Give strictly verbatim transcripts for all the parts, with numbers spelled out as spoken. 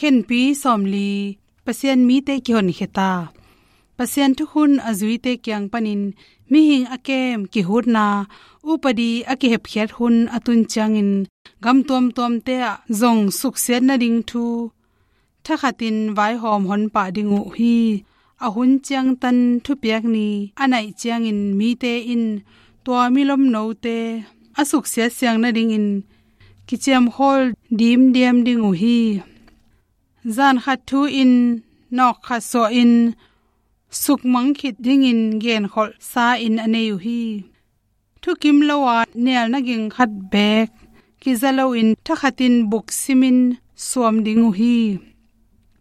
Khenpi sawmli, Pasian mite kihonkhia ta. Pasian thukhun a zuite kiang panin mihing a kem kihutna, upadi a kihepkhiat hun a tun ciangin gam tuamtuamte ah zong suksiat nading thu thakhatin vaihawm hon pah ding uh hi. A hun ciangtan thupiak ni a naih ciangin mite in tua milomnote a suksiat siang nadingin kiciamkhawl dimdiam ding uh hi. Zan khat thu-in nawk khat suahin sukmang khit dingin genkholh sa-in a nei uh hi. Thukim lo-a nialna ging khat beek kiza loin thakhatin buksimin suam ding uh hi.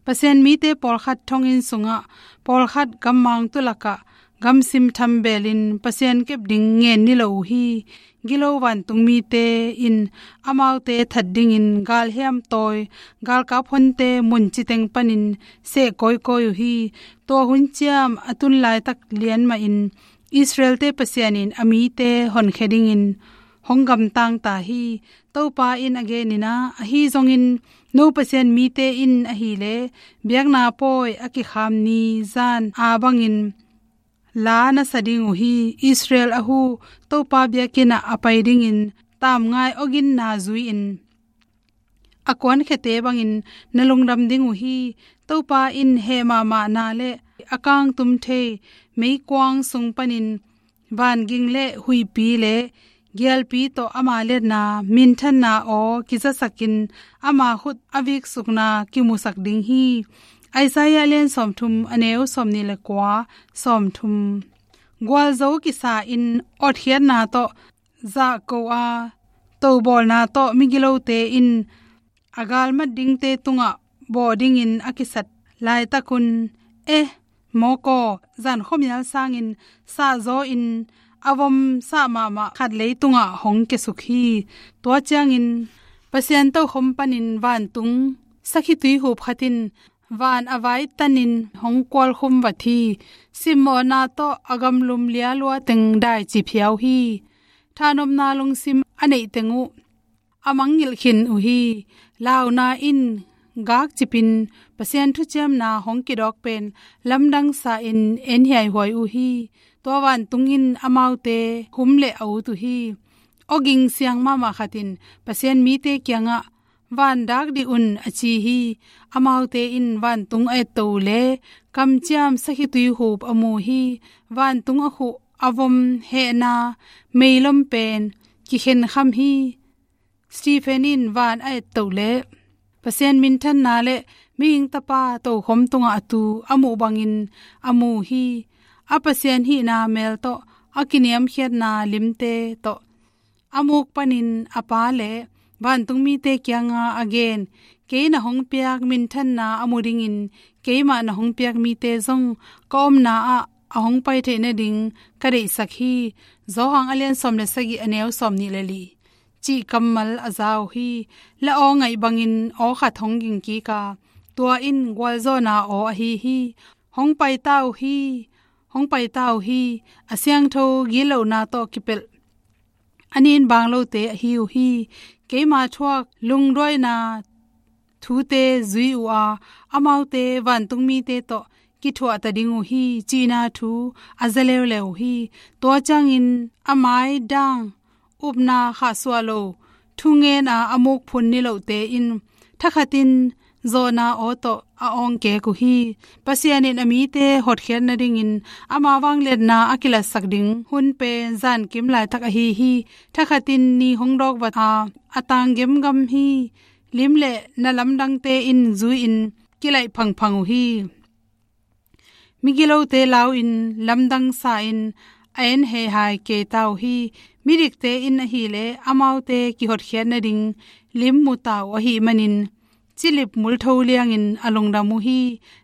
Pasian mite pawlkhat thonginn sungah, pawlkhat gammang tulakah gamsim thambelin Pasian kep ding ngen ni lo uh hi. Gilo vantung mite in amaute that dingin galhiam tawi, galkap honte mun citeng panin seh kawikawi uh hi. Tua hun ciam a tun laitak lian mahin Israel-te Pasian in a mite honkhia dingin hong gamtang ta hi. Topa in a genin ah, ahi zongin no Pasian mite in ahileh biakna pawi a kikham ni zan a bangin la na sa ding uh hi. Israel a hu Topa biakinn ah a pai dingin tamngai awginna zui-in a kuankhiate bangin na lungdam ding uh hi. Topa in heh mahmahna le a kangtum thei meikuang sung panin vanging le huihpi le gialpi tawh ama liatna, minthanna aw kizasakin ama khut a viksukna kimusak ding hi. Isaiah a lian sawmthum, a neu sawmnih le kua, sawmthum. Gualzo kisa-in otkhiatna tawh zahko a, tobawlna tawh migilote in a galmat dingte tungah bawh dingin a kisat laitakun, eh, mawkaw, zan khuamial sangin sahzaw-in a vom sah mahmah khat leitungah hong kiasuk hi. Tua ciangin Pasian tokhom panin vantung sakhi tuihup khat in van a vaitanin hong kualkhum vat hi. Simmawhna tawh a gamlum lialua teng daici phiau hi. Thahnopna lungsim a neih teng uh a mangngilh khin uh hi. Launa in gakcipin Pasian thuciamna hong kidawk pen lamdang sa-in en hiaihuai uh hi. Tua vantung in amaute hum le a ut uh hi. Awging siang mahmah khat in Pasian mite kiangah, "Van dak dih un," a ci hi. Amaute in vantung a etto uh le kamciam sakhi tuihup a mu hi. Vantung a khuh a vom hehna meilom pen kikhenkham hi. Stephen in van a etto uh le Pasian minthanna le mihing tapa tokhom tungah a tu a muh bangin a mu hi. A Pasian hihna mel tawh a kiniamkhiatna limte tawh a muk panin a pa le vantung mite kianga a gen, "Kei na hong piak minthanna a mu dingin keimah na hong piak mite zong ka omna ah a hong pai theih nading ka deihsak hi." Johan a lian sawm le sagih, a neu sawmnih le li cih kammal a za uh hi. La aw ngaih bangin aw khat hong ging kik a, tua in gualzawhna aw ahi hi. Hong pai ta uh hi, hong pai ta uh hi. A siangtho gitlohna tawh kipelh a nin bang lote ahi uh hi. Keima thuak lungduaina thute zui uh a, amaute vantung mite tawh kithuah ta ding uh hi, cihna thu a za leuleu uh hi. Tua ciangin a mai dang, upna khahsuah lo thungen a a muk phun nilohte in thakhatin zawhna aw tawh a awngkek uh hi. Pasian in a mite hotkhiat nadingin ama vangliatna a kilatsak ding hun pen zankim laitak ahi hi. Thakhatin ni hong dawk vat a, a tang gemgam hi. Lim le na lamdangte in zui-in kilaih phangphang uh hi. Migilote lau-in lamdang sa-in a en heihai kei ta uh hi. Midikte in ahileh amaute kihotkhiat nading lim mu ta uh ahih manin, cilip multho liangin a lungdam uh hi.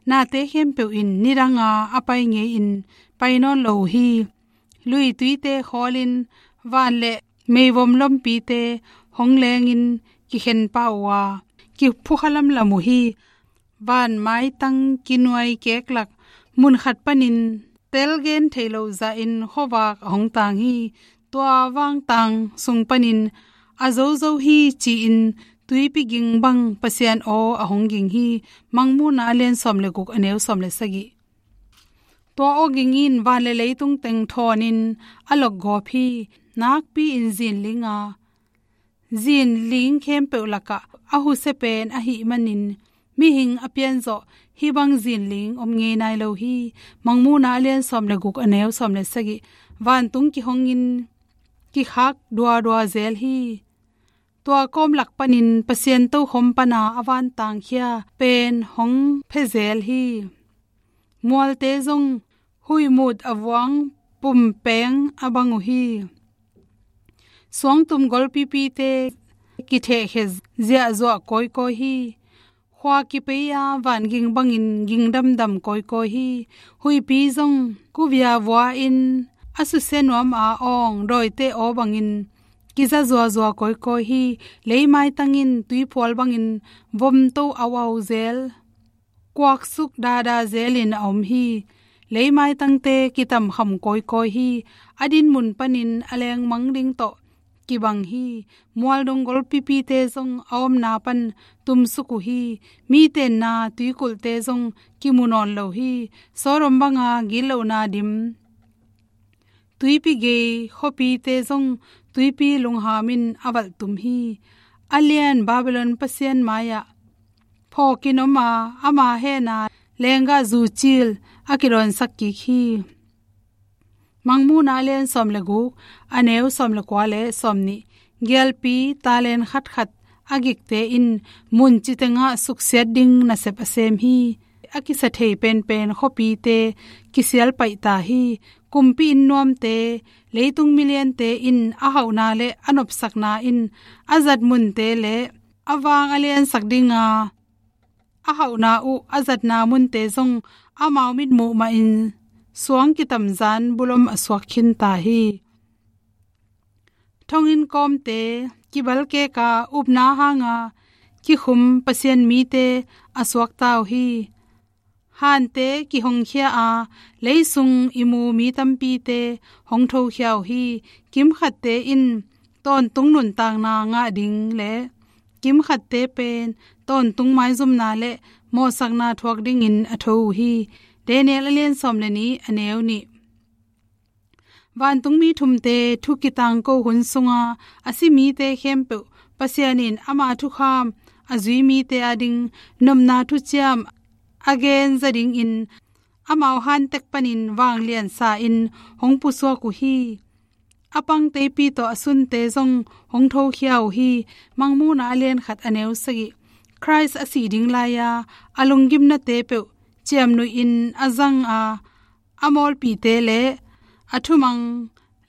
Nate khempeuh in nidanga a pai ngei-in pai nawn lo uh hi. Luituite khawlin van le meivom lompite hong lengin kikhen pah uh a, kiphukha lamlam uh hi. Van maitang kinuai keklak mun khat panin tel gen thei lo zahin khuavak a hong tang hi. Tua vangtang sung panin a zozo hi ci-in tuipi ging bang Pasian aw a hong ging hi. Mangmuhna a lian sawm le guk, a neu sawm le sagih. Tua aw ging in van le leitung teng thawnin a lokgawp hi. Nakpi-in zinling a, zinling khempeuh lakah a husia pen ahih manin, mihing a pianzawh hih bang zinling om ngei nai lo hi. Mangmuhna a lian sawm le guk, a neu sawm le sagih. Vantung kihongin kikhak duadua zel hi. Tua kawm lak panin Pasian tokhom pana a vantangkhia pen hong phezel hi. Mualte zong huihmut a vuang pumpeng a bang uh hi. Suangtum golpipite kithehkhia ziahzuah kawikawi hi. Khua kipei-a vanging bangin ging damdam kawikawi hi. Huihpi zong kuvia vua-in a susia nuam a awng dawite aw bangin kiza zuazua kawikawi hi. Leimaitang in tuiphual bangin vomto auau zel, kuaksuk dada zelin a om hi. Leimaitangte kitamkham kawikawi hi. A dinmun panin a lengmang ding tawh kibang hi. Mualdong golpipite zong a omna pan tumsuk uh hi. Mi tenna tuikulhte zong kimu nawn lo hi. Sodom banga gitlohna dim tuipi gei khuapite zong tuipi lunghamin a valhtum hi. A lian Babylon pasian mai-ah phawkin om a, ama hehna lenggahzu cil a kidawnsak kik hi. Mangmuhna a lian sawm le guk, a neu sawm le kua le sawm nih. Gialpi talen khatkhat a gikte in mun citengah suksiat ding nasep a sem hi. A kisa thei penpen khuapite kisial paih ta hi. Kumpi inn nuamte, leitung miliante in a hauhna le a nopsakna in a zat munte le a vang a liansak dinga a hauhna uh a zatna munte zong amau mitmuh mahin suang kitamzan bulom a suak khinta hi. Thonginn kawmte kibalkeka upna hanga kikhum Pasian mite a suakta uh hi. Hante kihongkhia a, leisung i mu mi tampite hong thokhia uh hi. Kimkhatte in tawntung nuntakna ngah ding le kimkhatte pen tawntung maizumna le mawhsakna thuak dingin a tho uh hi. Daniel a lian sawm le nih, a neu nih. Vantungmi thumte thu kitangko hun sunga a si mite khempeuh Pasian in ama thukham a zui mite ading nopna thuciam a genza dingin amau hantek panin vangliansa in hong pusuak uh hi. A pang teipi tawh a sunte zong hong thokhia uh hi. Mangmuhna a lian khat, a neu sagih. Khrist a sih ding lai-a a lunggimnate peuh ciamnuihin a zang a, a mawlpite le a thumang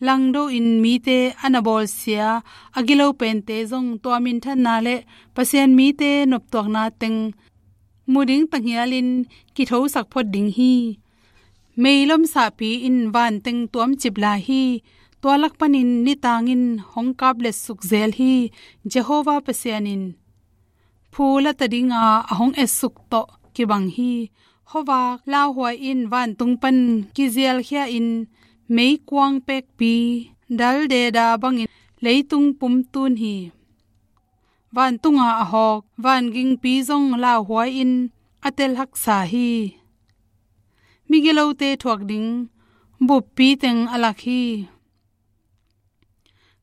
langdo in mite a na bawlsia a gilo pente zong tua minthanna le Pasian mite noptuakna teng mu ding tanghialin kithosak phot ding hi. Meilom sahpi in vanteng tuamcip lai hi. Tua lak panin nitang in hong kapletsuk zel hi. Jehovah Pasian in phu lata dinga a hong etsuk tawh kibang hi. Khuavak lauhuai in vantung pan kizialkhia in meikuang pekpi dal deda bangin leitung pumtun hi. Vantunga a hawk vangingpi zong lauhuai in a telhaksa hi. Migilote thuak ding buppi teng a lak hi.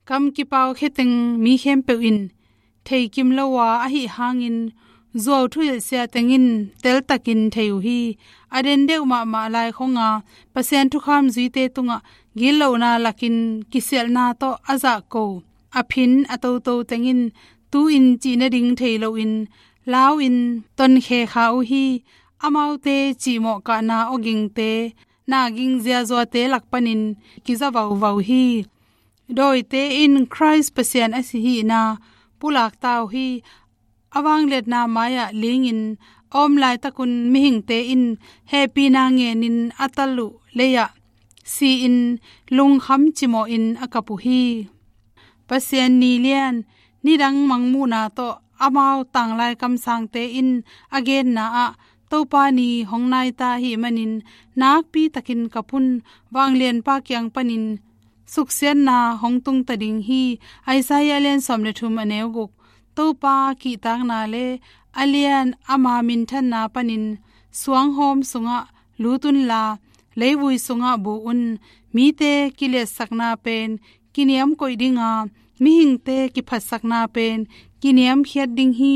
Kam kipau kheteng mi khempeuh in theikim lo a ahih hangin zuau thuhilhsia teng in teltakin thei uh hi. A den deuh mahmah lai khonga Pasian thukham zuite tungah gitlohna lakin kisialhna tawh a zahko a phin a toto teng in tu-in cih nading thei loin lau in tonkhe kha uh hi. Amaute cihmawh kahna awgingte, na ging ziazuate lak panin kiza vauvau hi. Dawite in Khrist Pasian a si hihna pulakta uh hi. A vangliatna mai-ah lingin a om laitakun mihingte in hehpihna ngenin a tal uh lei-ah si-in lungkham cimawhin a kap uh hi. Pasian ni lian, nidang mangmuhna tawh amau tanglai kamsangte in a genna ah Topa ni hong naita ahih manin nakpi takin kap un. Vanglianpa kiang panin suksiatna hong tungta ding hi. Isaiah lian sawm le thum, a neu guk. Topa kihtakna le a lian ama minthanna panin suanghawm sungah lut unla, leivui sungah bu un. Mite kiliatsakna pen kiniam koih dinga, mihingte kiphatsakna pen kiniamkhiat ding hi.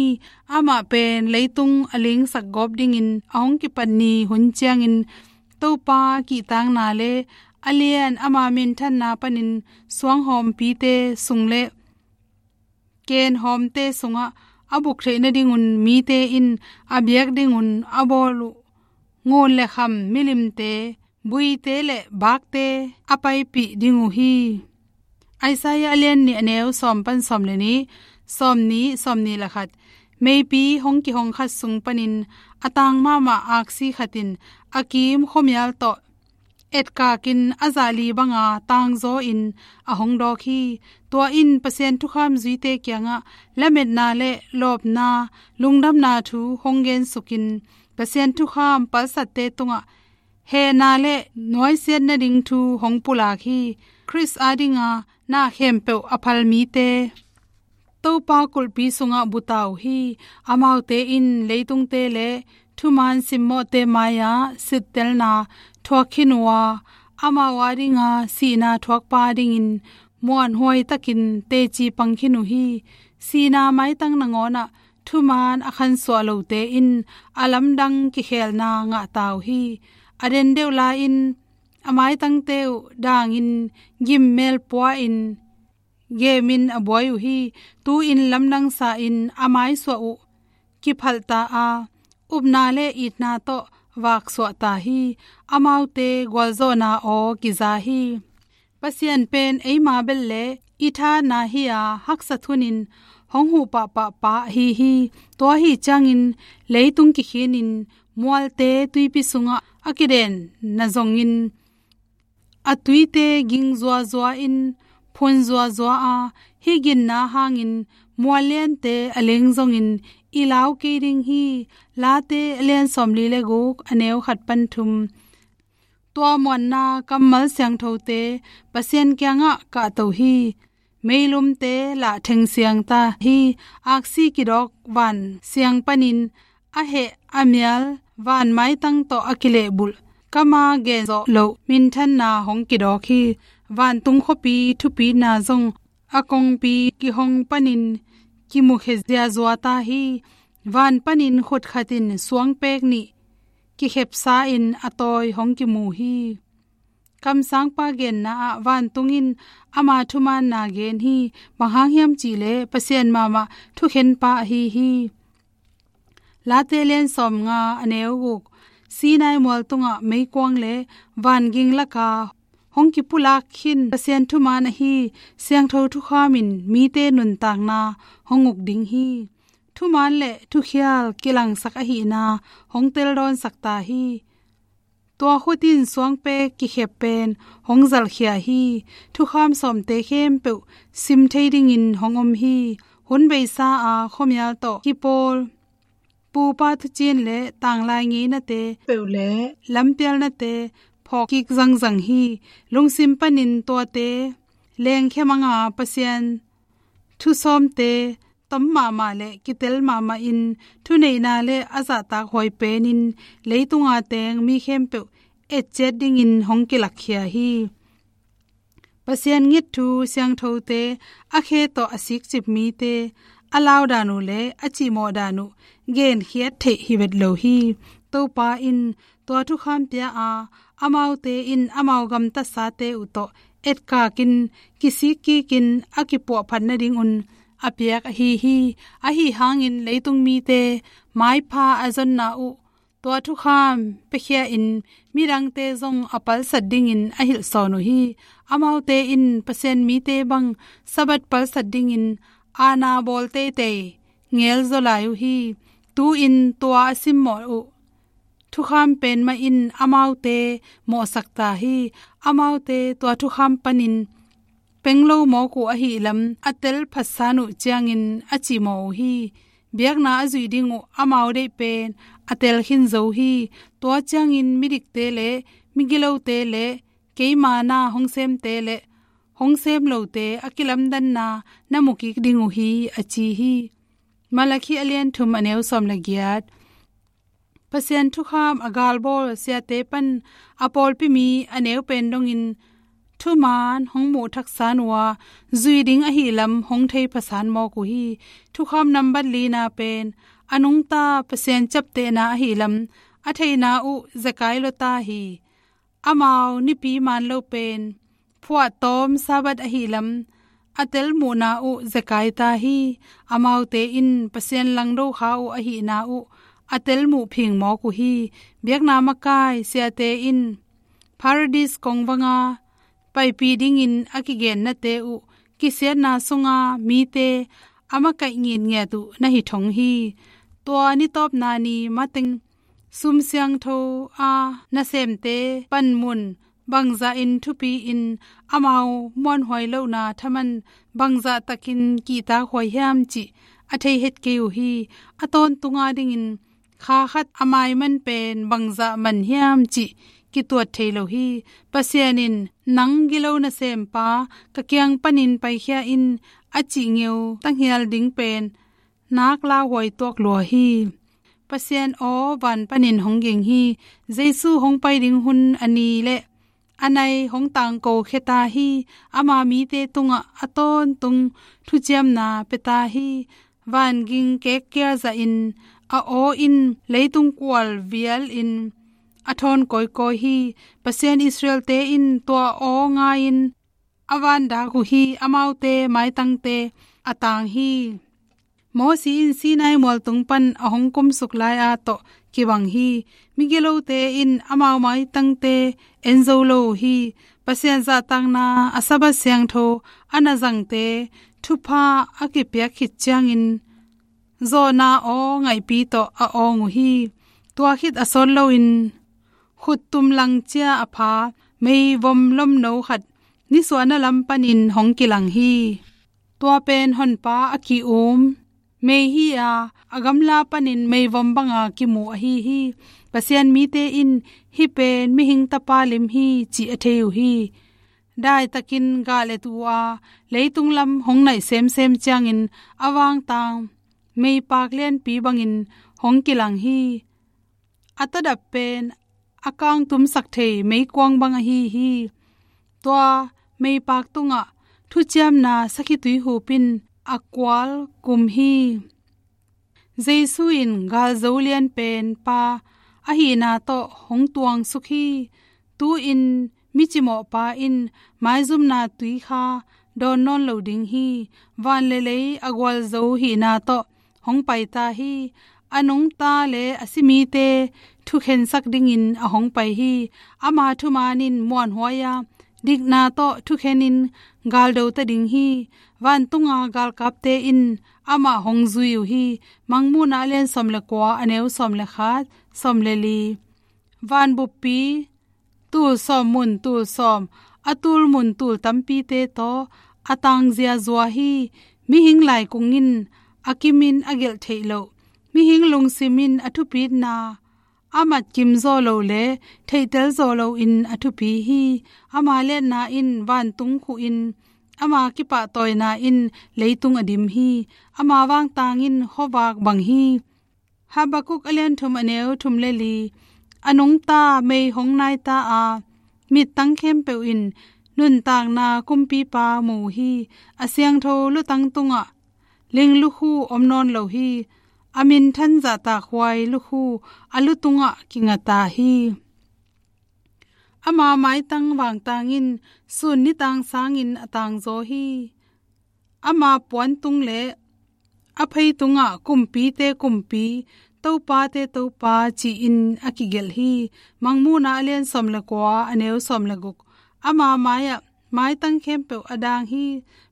Amah pen leitung a lingsak gawp dingin a hong kipat ni hun ciangin, Topa kihtakna le a lian ama minthanna panin suanghawmpite sung le kenhawmte sungah a buk theih nadingun mite in a biak dingun a bawl uh ngun le kham milimte, buite le bakte a paipih ding uh hi. Isaiah a lian nih, a neu sawm pan sawm le nih, sawm nih, sawm nih le khat. Meipi hong kihong khat sung panin a tang mahmah aksi khat in a kim khuamial tawh etkakin a zahli banga tangzaw in a hong dawk hi. Tua in Pasian thukham zuite kiangah lametna le lawpna, lungdamna thu hong gensukin, Pasian thukham palsatte tungah hehna le nuaisiat nading thu hong pulak hi. Khrist adinga na khempeuh a phal mite Topa kulhpi sungah bu ta uh hi. Amaute in leitungte le thuman simmawhte mai-ah sittelna thuak khin uh a, amau adinga sihna thuakpa dingin muanhuai takin teci pang khin uh hi. Sihna maitang nangawnah thuman a khansuah lote in a lamdang kikhelna ngah ta uh hi. A den deuh lai-in a maitangte uh dangin gimmel pua-in gemin a buai uh hi. Tu-in lamdangsa in a maisuah uh kiphalh ta a, upna le itna tawh vaksuah ta hi. Amaute gualzawhna aw kiza hi. Pasian pen eima bel le i thahatna hi-a, haksa thunin hong huh pahpah pa ahi hi. Tua ahi ciangin leitung kikhinin mualte tuipi sungah a kidenna zongin a tuite ging zuazua in phun zuazua a, hih ginna hangin mual liante a leng zongin i lau kei ding hi. Late a lian sawmli le guk, a neu khat pan thum. Tua muanna kammal siangthote Pasian kiangah kahto hi. Meilumte lah thengsiang ta hi. Aksi kidawk van siang panin a heh a mial van maitang tawh a kilehbulh, kama genzawh loh minthanna hong kidawk hi. Vantung khuapi thupina zong a kongpi kihong panin kimukhia ziazua ta hi. Van panin khutkhat in suangpek nih kikhepsa in a tawi hong kimu hi. Kamsangpa genna ah vantung in ama thumaanna gen hi. Bang hang hiam cihleh Pasian mahmah thukhenpa ahi hi. Late lian sawmnga, a neu guk. Sinai mual tungah meikuang le vanging laka hong kipulak khin Pasian thumaan ahi siangtho thukham in mite nuntakna hong uk ding hi. Thumaan le thukhial kilangsak ahihna hong teldawnsak ta hi. Tua khut in suangpek kikhep pen hong zalkhia hi. Thukham sawmte khempeuh sim thei dingin hong om hi. Hun beisa a khuamial tawh kipawl pupa thuciin le tanglai ngeinate peuh le lampialnate phawk kik zangzang hi. Lungsim panin tuate lengkhia manga Pasian thusawmte tom mahmah le kitel mahmah in thuneihna le a zahtak huai penin leitunga teng mi khempeuh etciat dingin hong kilakkhia hi. Pasian ngitthu siangthote, a khe tawh a sikcip mite, a laudan uh le a cihmawhdan uh genkhiat theih hi vet lo hi. Topa in tua thukham pia a, amaute in amau gamtatsate uh tawh etkakin kisik kikin a kipuahphat nadingun a piak ahi hi. Ahi hangin leitung mite maipha a zonna uh tua thukham piakhia in midangte zong a palsat dingin a hilhsawn uh hi. Amaute in Pasian mite bang Sabbath palsat dingin aana bawl teitei ngelzaw lai uh hi. Tu-in tua a simmawh uh thukham pen mah in amaute mawhsak ta hi. Amaute tua thukham panin penglo mawk uh ahi lam a tel phatsan uh ciangin a cihmawh uh hi. Biakna a zuih ding uh amau deih pen a tel khin zo hi. Tua ciangin midikte le migilote le keima na hong semte le hong sem lote a kilamdanna na mu kik ding uh hi, a ci hi. Malakhi a lian thum a neu sawm le giat. Pasian thukham a galbawl siate pan a pawlpi mi a neu pen dongin thuman hong muh thaksan uh a, zui ding ahi lam hong thei phasan mawk uh hi. Thukham nambat lina pen a nungta Pasian ciaptehna ahi lam a theihna uh zekai lua ta hi. Amau nipi man lo pen phuahtawm Sabbath ahi lam a telmuhna uh zekai ta hi. Amaute in Pasian langdo kha uh ahihna uh a telmuh phing mawk uh hi. Biakna makai siate in Paradis kongvanga paipi dingin a kigennate uh kisiatna sunga mite a makaih ngitngiat uh na hi thong hi. Tua nitawpna ni mateng sum siangtho a nasemte panmun bangzah in thupi in amau muanhuai lohna thaman bangzah takin kihtakhuai hiam cih a thei het kei uh hi. A tawntunga dingin kha khat a maiman pen bangzah man hiam cih kituat thei lo hi. Pasian in nang gilo nasempa ka kiang panin paikhia in a cih ngeu tanghial ding pen nak lauhuai tuak lua hi. Pasian aw van panin hong ging hi. Jesu hong pai ding hun a ni le a nai hong tangko khia ta hi. Ama mite tungah a tawntung thuciamna pia ta hi. Van ging kekkial zahin a aw in leitung kual vial in a thawn kawikawi hi. Pasian Israelte in tua aw ngai-in a van dak uh hi. Amaute maitangte a tang hi. Mosi in Sinai mualtung pan a hong kumsuk lai-a tawh kibang hi. Migilote in amau maitangte en zo lo uh hi. Pasian zahtakna a Sabbath siangtho a na zangte thupha a kipiak khit ciangin zawhna aw ngaihpi tawh a awng uh hi. Tua khit a sawt loin khuttum langcia a pha meivom lomno khat nisuahna lam panin hong kilang hi. Tua pen honpa a ki-um mei hi a, a gamla panin meivom banga kimu ahi hi. Pasian mite in hih pen mihing tapa lim hi cih a thei uh hi. Daitakin gal et uh a, leitung lam hong naih semsem ciangin a vangtang meipak lianpi bangin hong kilang hi. A tadap pen a kangtumsak thei meikuang bang ahi hi. Tua meipak tungah thuciamna sakhi tuihup in a kual kum hi. Jesu in galzo lianpen pa ahihna tawh hong tuangsuk hi. Tu-in micimawhpa in maizumna tui kha dawn nawn lo ding hi. Van le lei a gualzo hihna tawh hong pai ta hi. A nungta le a simite thukhensak dingin a hong pai hi. Ama thuman in muanhuai a, dikna tawh thukhen in galdo ta ding hi. Vantunga galkapte in amah hong zui uh hi. Mangmuhna a lian sawm le kua a neu sawm le khat, sawm le li. Van buppi tul sawm mun tul sawm, a tul mun tul tampite tawh a tangzia zua hi. Mihing laikung in a kimin a gelh theih loh, mihing lungsim in a thupitna a matkim zawh lo le theihtel zawh loin a thupi hi. Ama liatna in vantung khuh in, ama kipahtawina in leitung a dim hi. Ama vangtang in khuavak bang hi. Habakuk a lian thum a neu thum le li. A nungta mei hong nai ta a, mittang khempeuh in nuntakna kumpipa mu uh hi. A siangtho lutang tungah ling lukhu om nawn lo hi. A minthan zahtakhuai lukhu a lu tungah kinga ta hi. Ama maitang vangtang in sun nitang sangin a tangzaw hi. Ama puantung le a phei tungah kumpite kumpi, topate topa ci-in a kigelh hi. Mangmuhna a lian sawm le kua a neu sawm le guk. Ama mai-ah maitang khempeuh a dang hi.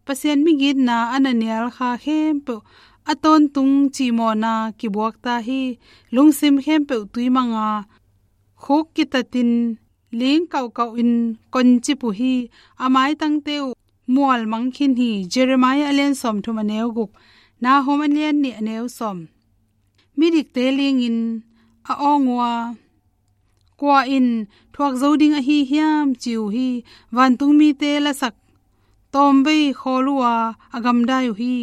Pasian migitna a na nial kha khempeuh a tawntung cimawhna kibuak ta hi. Lungsim khempeuh tuimanga khuk kitatin ling kauhkauh in koncip uh hi. A maitangte uh mual mang khin hi. Jeremiah a lian sawm thum a neu guk, Nahum a lian nih a neu sawm. Midikte lingin a awng uh a, kua in thuak zo ding ahi hiam ci uh hi. Vantung mite lasak tawmvei khawl uh a, a gamdai uh hi.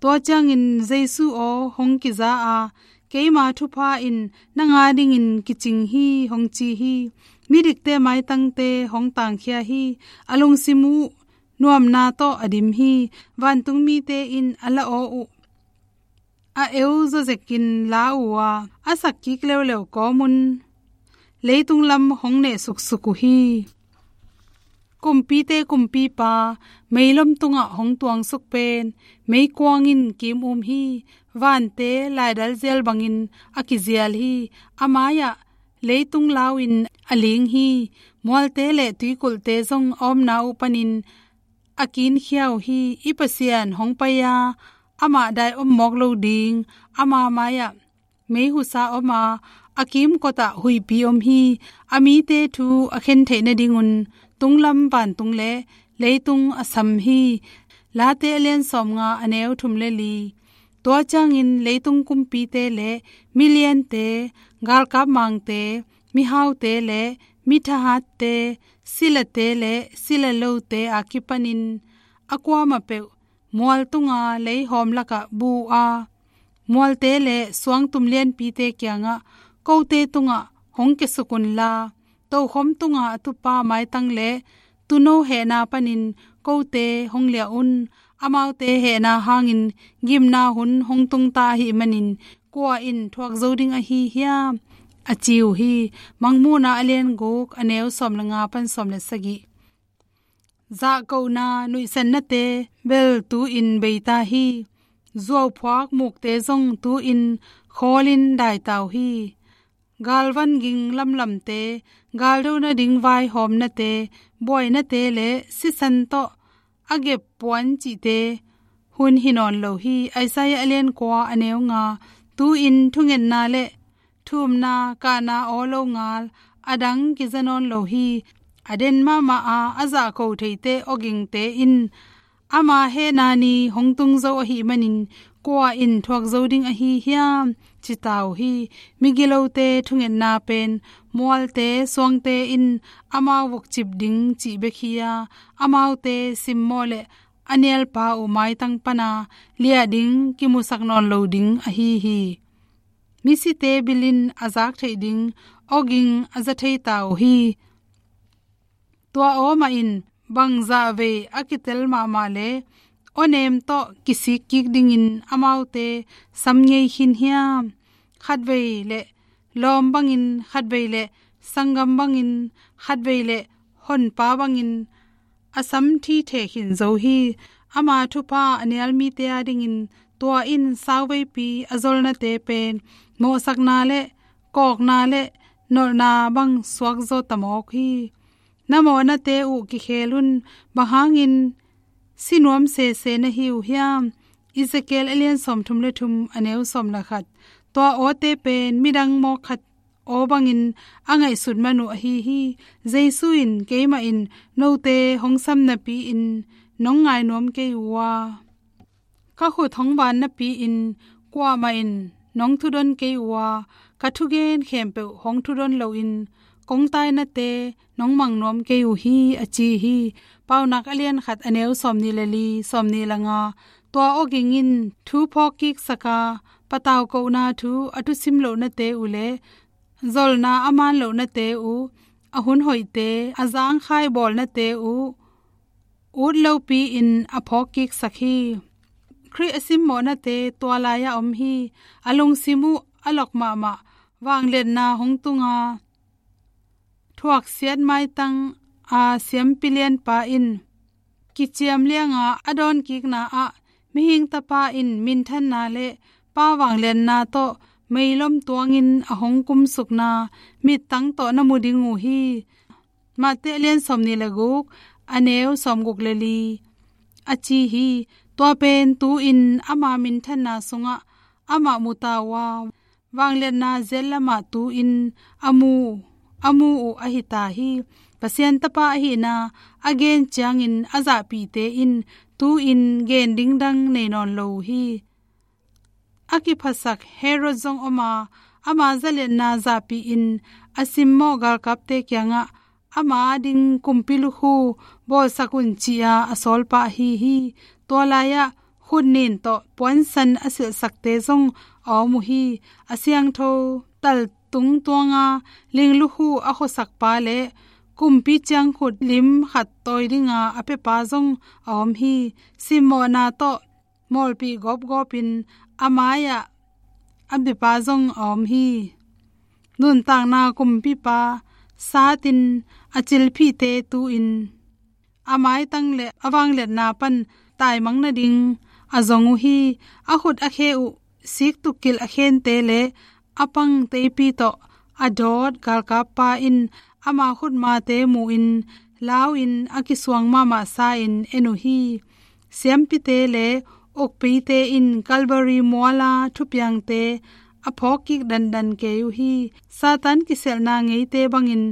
Tua ciangin Jesu aw hong kiza a, keima thupha in nang a dingin kicing hi, hong ci hi. Midikte maitangte hong tangkhia hi. A lungsim uh nuamna tawh a dim hi. Vantung mite in a la aw uh a eu zawzekin la uh a, a sak kik leuleu kawmun leitung lam hong neh suksuk uh hi. Kumpite Kumpipa meilom tungah hong tuangsuk pen meikuang in kim um hi. Vante laidal zial bangin a kizial hi. A mai-ah leitung lau in a ling hi. Mualte le tuikulhte zong a omna uh panin a kinkhia uh hi. I Pasian hong pai a, amah dai om mawk lo ding. Ama mai-ah meihusa om a, a kimkotah huihpi om hi. A mite thu a khen theih nadingun tunglam vantung le leitung a sam hi. Late a lian sawmnga, a neu thum le li. Tua ciangin leitung kumpite le miliante, galkap mangte, mihaute le mithahatte, silate le silalote a kipanin a kuamah peuh mual tunga leihawm lakah bu a, mualte le suangtum lianpite kiangah, kote tungah hong kiasuk unla, tokhom tunga a tupa maitang le tuuno hehna panin kote hong liah un. Amaute hehna hangin gimna hun hong tungta ahih manin kua in thuak zo ding ahi hiam? A ci uh hi. Mangmuhna a lian guk, a neu sawm le nga pan sawm le sagih. Zahkohna nuihsannate bel tu-in beita hi. Zuauphuak mukte zong tu-in khawlin daita uh hi. Galvan ging lamlamte, galdo nading vaihawmnate, buainate le sisan tawh a gep puan cihte hun hi nawn lo hi. Isaiah a lian kua, a neu nga. Tu-in thungetna le thumna, kahna aw lo ngal a dang kiza nawn lo hi. A den mahmah a, a zahko theite awgingte in ama hehna ni hong tung zo ahih manin kua in thuak zo ding ahi hiam? Cita uh hi. Migilote thungetna pen mualte suangte in amau vukcip ding cih bek hi a, amaute simmawh le a nialpa uh maitang pana liah ding kimusak nawn lo ding ahi hi. Misite bilin a zak theih ding awging a za theita uh hi. Tua aw mah in bangzah vei a kitel mahmah le awnem tawh kisik kik dingin amaute sam ngei khin hiam? Khatvei le lawm bangin, khatvei le sanggam bangin, khatvei le honpa bangin a sam thithe khin zo hi. Ama thupha a nial mite adingin tua in sauveipi a zolnate pen mawhsakna le kawkna le nolhna bang suak zaw ta mawk hi. Na mawhnate uh kikhel un. Bang hangin si nuam sese na hi uh hiam? Ezekiel a lian sawmthum le thum, a neu sawm le khat. Tua awte pen midang mawk khat aw bangin a ngaihsut man uh ahi hi. Jesu in, "Keimah in note hong sam napi-in nong ngai nuam kei uh a, ka khut hong van napi-in kuamah in nong thudon kei uh a, ka thugen khempeuh hong thudon loin kong tainate nong mang nuam kei uh hi," a ci hi. Paunak a lian khat, a neu sawmnih le li, sawmnih le nga. Tua awging in thu phawk kiksak a, pataukohna thu a thusim lohnate uh le zolna a man lohnate uh, a hun hoihte, a zangkhai bawlnate uh ut lopi-in a phawk kiksak hi. Khrih a simmawhnate tua lai-ah om hi. A lungsim uh a lok mahmah, vangliatna hong tunga, thuaksiat maitang a siampi lianpa in kiciam lianga a dawnkikna ah, mihing tapa in minthanna le pa vangliatna tawh meilom tuangin a hong kumsukna mittang tawh na mu ding uh hi. Mate a lian sawmnih le guk, a neu sawmguk le li. A ci hi. Tua pen tu-in ama minthanna sungah amah muta uh a, vangliatna ziat lamah tu-in a mu, a mu uh ahi ta hi. Pasian Tapa ahihna a gen ciangin a zahpihte in tu-in gen dingdang nei nawn lo uh hi. A kiphasak Herod zong om a, ama zaliatna zahpih in a simmawh galkapte kiangah ama ding kumpi lukhu bawlsak un ci-a a sawlpa ahi hi. Tua lai-ah khutnin tawh puansan a silhsakte zong a om uh hi. A siangtho tal tungtuanga ling lukhu a khuasakpa le kumpi ciangkhut lim khat tawi dinga a piapa zong a om hi. Simmawhna tawh mawlpih gawpgawpin a mai-ah a biapa zong a om hi. Nuntakna kumpipa satin a cilphihte tu-in a maitang le a vangliatna pan taimang nading a zong uh hi. A khut a khe uh siktukkilh a khente le a pang teipi tawh a dawt galkappa in ama khutmate mu-in lau-in a kisuang mahmah sa-in en uh hi. Siampite le ukpite in Calvary muala thupiangte a phawkkik dandan kei uh hi. Satan kisialhna ngeite bangin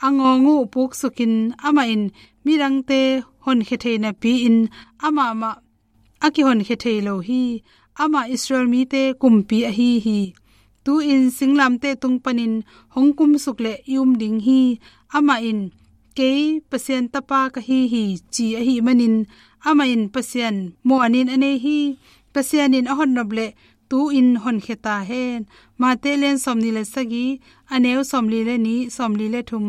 a ngawng uh puksukin amah in midangte honkhia thei napi-in amah mah a kihonkhia thei lo hi. Amah Israel mite kumpi ahi hi. Tu-in singlamteh tung panin hong kumsuk leh i um ding hi. Amah in, "Kei Pasian tapa ka hi hi," ci ahih manin amah in Pasian muanin a nei hi. Pasian in a hotnop leh tu-in honkhia ta hen. Mate lian sawmnih le sagih, a neu sawmli le nih, sawmli le thum.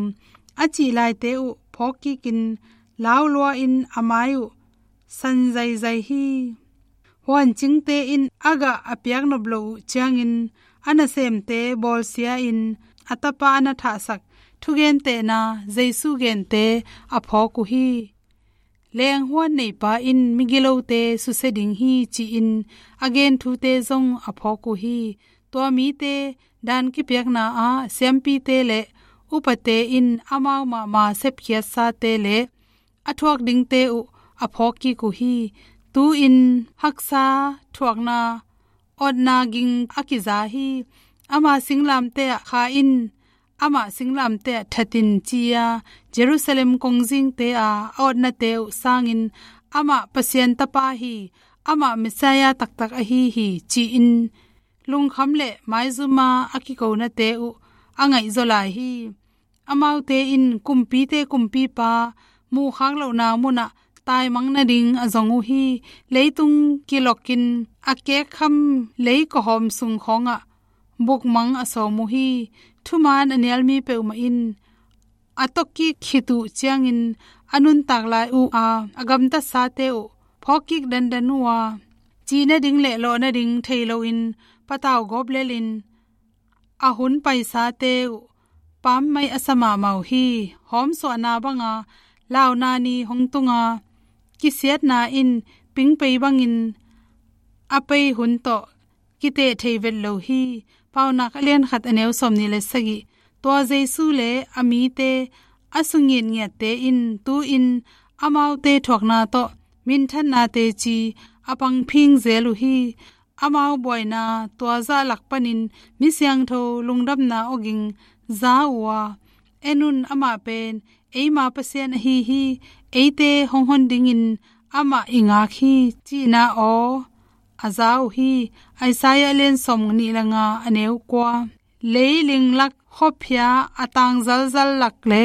A cih laite uh phawkkikin laulua-in a mai uh san zaizai hi. Huancingte in a gah a piaknop loh uh ciangin a nasemte bawlsia-in a tapa a na thahsak thugentehna Jesu gente a phawk uh hi. Lenghuan neipa in migilote susia ding hi ci-in a gen thute zong a phawk uh hi. Tua mite dan kipiakna ah siampite le upate in amau mahmah sepkhiatsate le a thuak dingte uh a phawkkik uh hi. Tu-in haksa thuakna awtna ging a kiza hi. Ama singlamteh ah kha in, amah singlamteh ah that in ci-a Jerusalem kongzingte a a awtnate uh sangin amah Pasian tapa hi, amah Messiah taktak ahi hi ci-in lungkham le maizuma a kikonate uh a ngaihzaw lai hi. Amaute in kumpite kumpipa muhkhak lohna munah taimang nading a zong uh hi. Leitung kilokin a kekkham leikawhawm sung khawngah bukmang a sawm uh hi. Thuman a nialmi peuhmah in a tokkik khit uh ciangin a nuntak lai uh a a gamtatsate uh phawkkik dandan uh a, ci nading le lawh nading thei loin patau gawp lelin a hun paisate uh pammai a sa mahmah uh hi. Hawmsuahna banga launa ni hong tunga kisiatna in pingpei bangin a pei hun tawh kiteh thei vet lo hi. Paunak a lian khat a neu sawmnih le sagih. Tua Jesu le a mite a sungitngiatte in tu-in amaute thuakna tawh minthannate ci a pangphing zel uh hi. Amau buaina tua zah lak panin mi siangtho lungdamna awging za uh a, "En un, amah pen eima Pasian ahi hi, eite hong hon dingin amah i ngak hi," cihna aw a za uh hi. Isaiah lian sawmnih le nga a neu kua. Leiling lak khuaphia a tang zalzal lak le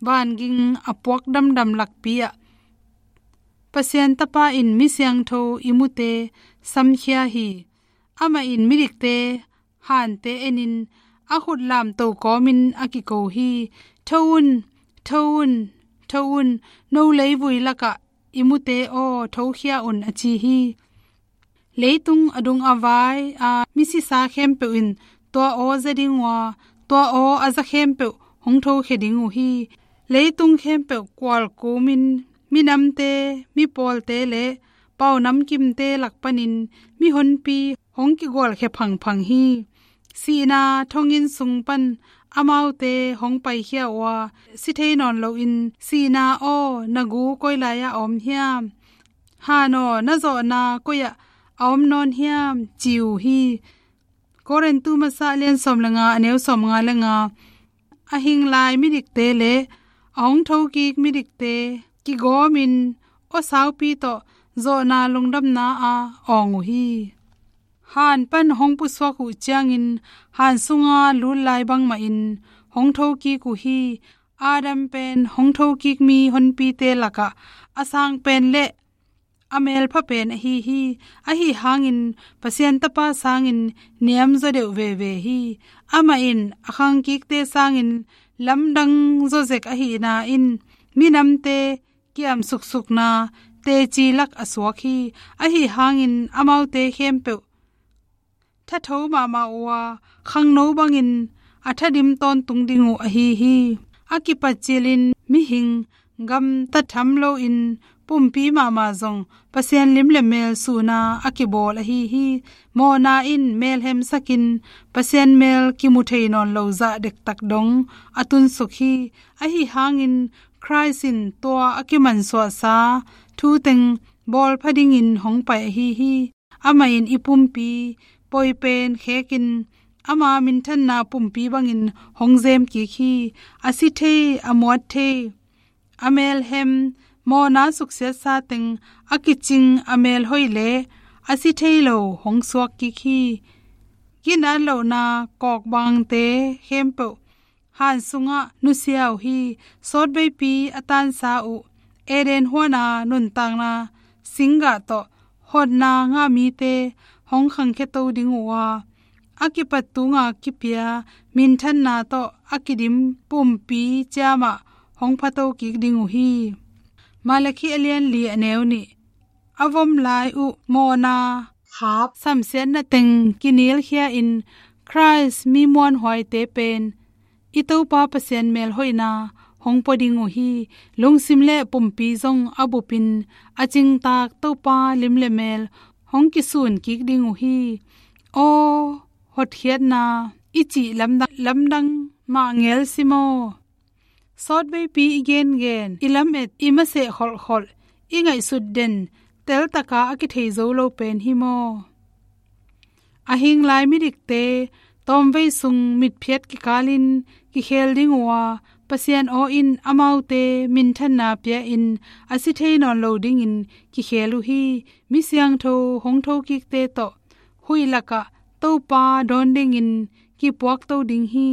vanging a puak damdam lakpi ah Pasian tapa in mi siangtho i mute samkhia hi. Amah in midikte hante enin a khut lamto kawmin a kiko hi. "Tho un, tho un, tho un, no leivui lakah i mute aw, thokhia un," a ci hi. Leitung a dung a vai a misisa khempeuh in tua aw za ding uh a, tua aw a za khempeuh hong thokhia ding uh hi. Leitung khempeuh kualkumin minamte, mipawlte le pau namkimte lak panin mihonpi hong kigualkhia phangphang hi. Sihna thonginn sung pan amaute hong paikhia uh a, si thei nawn loin, "Sihna aw, na gu koi lai-ah a om hiam? Han aw, na zawhna koi-ah a om nawn hiam?" ci uh hi. Korintu masa lian sawm le nga a neu sawm nga le nga. A hing lai midikte le a hong thokik midikte kigawmin aw saupi tawh zawhna lungdamna a awng uh hi. Han pan hong pusuak uh ciangin han sunga lut lai bangmahin hong thokik uh hi. Adam pen hong thokik mi honpite lakah a sang pen le a melpha pen ahi hi. Ahi hangin Pasian Tapa sangin niamzaw deuh veve hi. Amah in a khangkikte sangin lamdang zawzek ahihna in minamte kiamsuksukna teci lak a suak hi. Ahi hangin amaute khempeuh thatho mahmah uh a, khangno bangin a thadim tawntung ding uh ahi hi. A kipat cilin mihing gamta tham loin pumpi mahmah zong Pasian lim le mel suhna a kibawl ahi hi. Mawhna in mel hemsakin Pasian mel kimu thei nawn lo zah dektak dong a tunsuk hi. Ahi hangin Khrist in tua a kimansuahsa thu teng bawlpha dingin hong pai ahi hi. Amah in i pumpi poi pen khekin ama minthanna pumpi bangin hong zem kik hi. A si thei, a muat thei, a melhem, mawhna suksiatsa teng a kicing a melhoih le a si thei lo hong suak kik hi. Ginat lohna kawkbangte khempeuh han sungah nusia uh hi. Sawtveipi a tansa uh Eden huana nuntakna singgah tawh hotna ngah mite hong khangkhia to ding uh a, a kipat tunga kipia minthanna tawh a kidim pumpi ciamah hong phato kik ding uh hi. Malakhi a lian li a neu nih. A vom lai uh mawhna khap samsiatna teng kinilkhia in Khrist mi muanhuaite pen i Topa Pasian melhoihna hong pua ding uh hi. Lungsim le pumpi zong a bupin a cingtak Topa lim le mel hong kisun kik ding uh hi. Aw hotkhiatna i cih lamdang, lamdang mah ngel si maw? Sawtveipi i gengen, i lamet, i maseh kholhkholh, i ngaihsut den teltaka a kithei zo lo pen hi maw? A hing lai midikte tawmvei sung mitphiat kikalin kikhel ding uh a, Pasian aw in amaute minthanna pia in a si thei nawn lo dingin kikhel uh hi. Mi siangtho hong thokikte tawh huih lakah Topa dawn dingin kipuakto ding hi.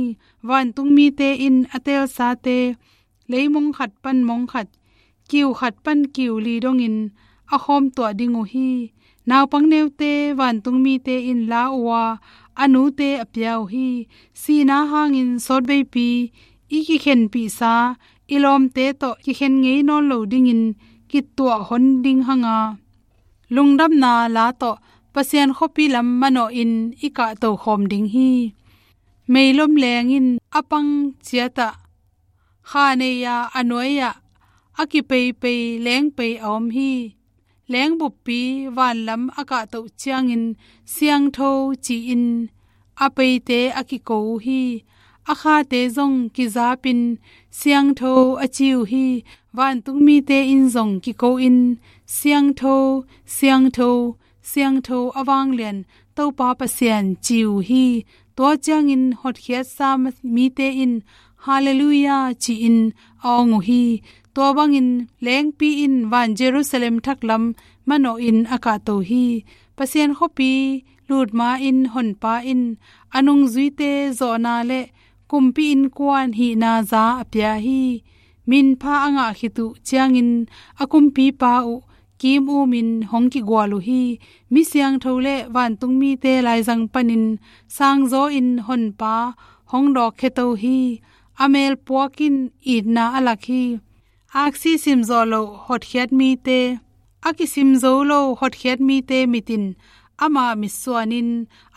Vantungmite in a telsate leimong khat pan mong khat, kiu khat pan kiu li dongin a khawm tuah ding uh hi. Naupang neute vantungmite in la uh a, a nute a pia uh hi. Sihna hangin sawtveipi i kikhenpihsa i lawmte tawh kikhen ngei nawn lo dingin kituah hon ding hanga, lungdamna la tawh Pasian khuapi lam manawhin i kahto khawm ding hi. Meilom leng in a pang ciatah kha nei-a a nuai-ah a kipeipei lengpei a om hi. Leng buppi vanlam a kahtoh ciangin siangtho ci-in a peite a kiko uh hi. A khate zong kizapin siangtho a ci uh hi. Vantungmite in zong kiko in siangtho, siangtho, siangtho a vanglian Topa Pasian ci uh hi. Tua ciangin hotkhiatsa mite in Halleluiah ci-in a awng uh hi. Tua bangin lengpi in van Jerusalem thaklam manawhin a kahto hi. Pasian khuapi lut ma-in Honpa in a nungzuite zawhna le kumpi innkuan hihna za a pia hi. Minpha a ngah khit uh ciangin a kumpipa uh kim umin hong kigual uh hi. Mi siangtho le vantungmite laizang panin sangzaw in Honpa hong dawkkhia to hi. A melpuak in itna a lak hi. Aksi simzawh loh hotkhiat mite, a kisim zo lo hotkhiat mite mit in ama mitsuanin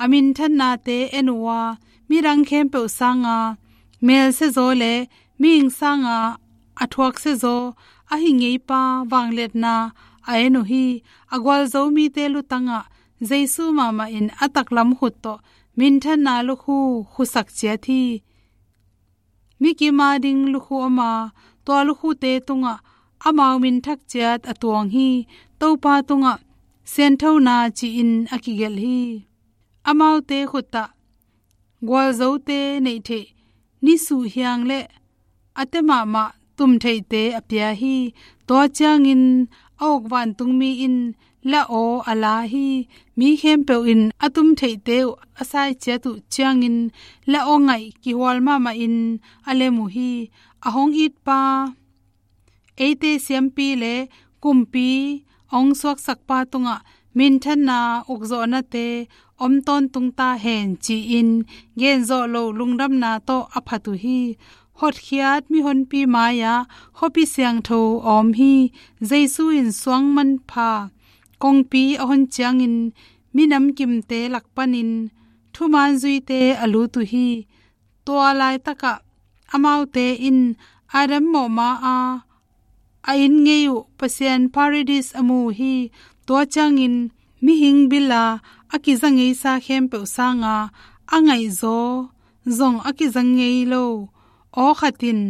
a minthannate en uh a, midang khempeuh sanga melsiazaw le mihing sanga a thuaksiazaw a hi ngeipa vangliatna a en uh hi. A gualzo mite lutangah Jesu mahmah in a taklam khut tawh minthanna lukhu khusak ciat hi. Mi kim a ding lukhu om a, tua lukhute tungah amau minthak ciat a tuang hi. Topa tungah sianthona ci-in a kigelh hi. Amaute khutah gualzote neih theih, nisuh hiang le a te mahmah tum theihte a pia hi. Tua ciangin a uk vantungmi in la aw a la hi. Mi khempeuh in a tum theihte uh a sai ciat uh ciangin la aw ngaih kihual mahmahin a lem uh hi. A hong itpa, eite siampi le kumpi a hong suaksakpa tungah minthanna ukzawhnate om tawntung ta hen ci-in genzawh lo lungdamna tawh a phat uh hi. Hotkhiat mihonpi mai-ah khuapi siangtho a om hi. Jesu in suang manpha kongpi a hon ciangin minam kimte lak panin thuman zuite a lut uh hi. Tua laitakah amaute in Adam mawhma-a a inn ngei uh Pasian Paradis a mu uh hi. Tua ciangin mihing bila a kiza ngeisa khempeuh sanga a ngaihzaw zong a kiza ngei lo aw khat in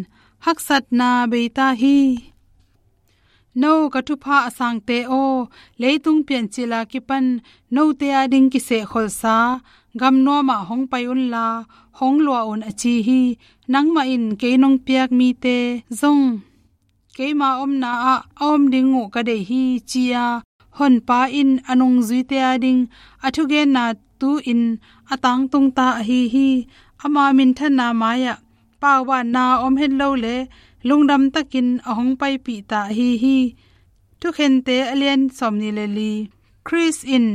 haksatna bei ta hi. No ka thupha a sangte aw, leitung piancil a kipan note ading kisehkholsa gamnuamah hong pai unla hong lua un a ci hi. Nangmah in kei nong piak mite zong keima omna ah a om ding uh ka deih hi, ci-a Honpa in a nungzuite ading a thugenna tu-in a tangtung ta ahi hi. Ama minthanna mai-ah paubanna om het lo le lungdam takin a hong paipih ta ahi hi. Thukhente a lian sawmnih le li. Khrist in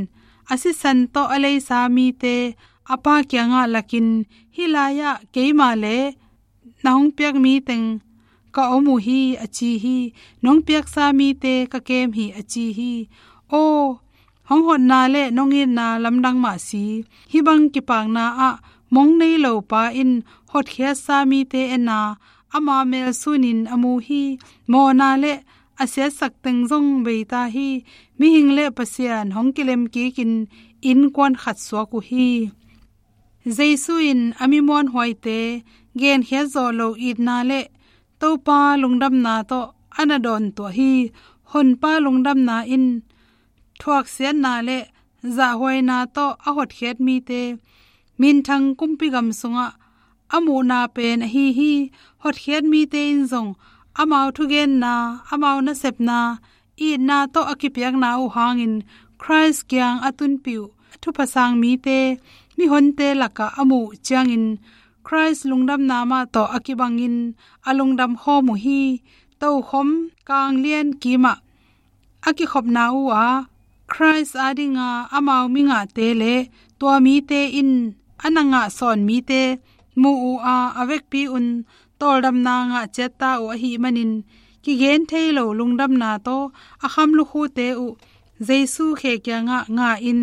a sisan tawh a leisa mite a Pa kiangah lakin, hih lai-ah keima le na hong piak mi teng ka om uh hi a ci hi. Nong piaksa mite ka kem hi a ci hi. Aw, hong hotna le nong itna lamdang mah si. Hih bang kipakna ah mong nei lo pa in hotkhiatsa mite en a, ama mel sunin a mu hi. Mawhna le a siatsak teng zong bei ta hi. Mihing le Pasian hong kilem kikin innkuan khat suak uh hi. Jesu in a mi muanhuaite genkhiat zawh lo itna le Topa lungdamna tawh a na dawntuah hi. Honpa lungdamna in thuaksiatna le zahhuaina tawh a hotkhiat mite minthang kumpi gam sungah a muhna pen ahi hi. Hotkhiat mite in zong amau thugenna, amau nasepna, itna tawh a kipiakna uh hangin Khrist kiang a tunpih uh a thupha sang mite mihonte lakah a muh ciangin Khrist lungdamna mah tawh a kibangin a lungdam khawm uh hi. Tokhom kanglian kimah a kikhopna uh a, Khrist adinga amau mingahte le tua mite in a na ngah sawn mite muh uh a, a vekpi un tawldamna ngah ciat ta uh ahih manin, kigen thei lo lungdamna tawh a kham lukhute uh Jesu khe kiangah ngah in,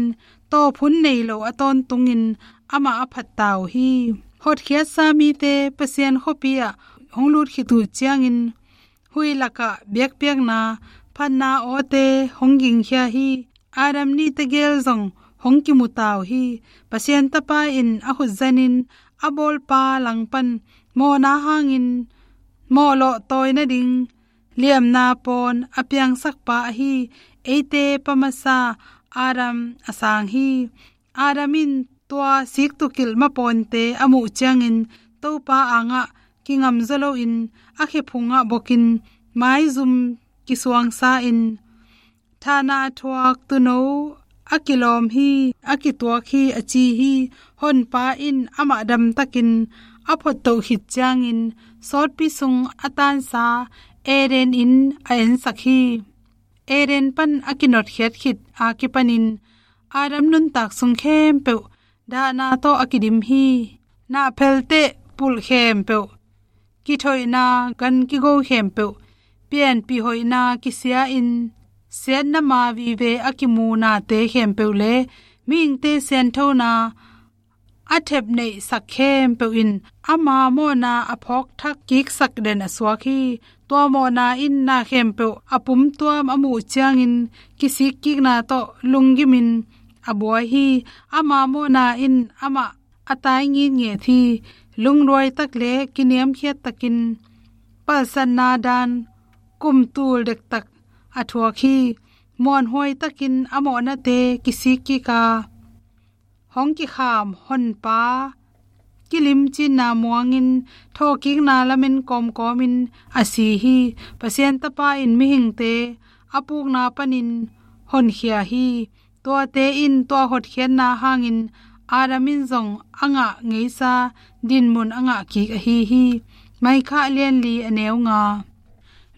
tawphun nei lo a tawntungin amah a phat ta uh hi. Hotkhiatsa mite Pasian khuapi ah hong lut khit uh ciangin huih lakah biakpiakna phatna awte hong gingkhia hi. Adam nih tegel zong hong kimu ta uh hi. Pasian Tapa in a khutzanin a bawlpa langpan mawhna hangin mawhlawh tawi nading liamna pawn a piangsakpa ahi eite pa masa Adam a sang hi. Adam in tua siktukilh mapawnte a muh ciangin Topa angah kingamzaw loin a khe phungah bokin maizum kisuangsa in, thahna a thuak tuuno a kilawm hi, a kituak hi a ci hi. Honpa in amah damtakin a phottoh khit ciangin sawtpi sung a tansa Eden inn a ensak hi. Eden pan a kinotkhiat khit a kipanin Adam nuntak sung khempeuh dahna tawh a kidim hi. Nahphelteh pulh khempeuh, kithoihna gan kigo khempeuh, pianpih hoihna kisia-in siatna ma vive a kimu nate khempeuh le mihingte sianthona a thepneihsak khempeuh in ama mawhna a phawkthak kiksak den a suak hi. Tua mawhna in na khempeuh a pumtuam a muh ciangin kisikkikna tawh lunggimin a buai hi. Ama mawhna in amah a tai ngitnget hi. Lungduai tak le kiniamkhiat takin palsatna dan kumtul dektak a thuak hi. Muanhuai takin a mawhnate kisikkik a, hong kikham Honpa kilimcinna muangin thawhkikna lamen kawmkawmin a si hi. Pasian Tapa in mihingte a pukna panin honkhia hi. Tuate in tua hotkhiatna hangin Adam in zong a ngah ngeisa dinmun a ngah kik ahi hi. Micah a lian li a neu nga.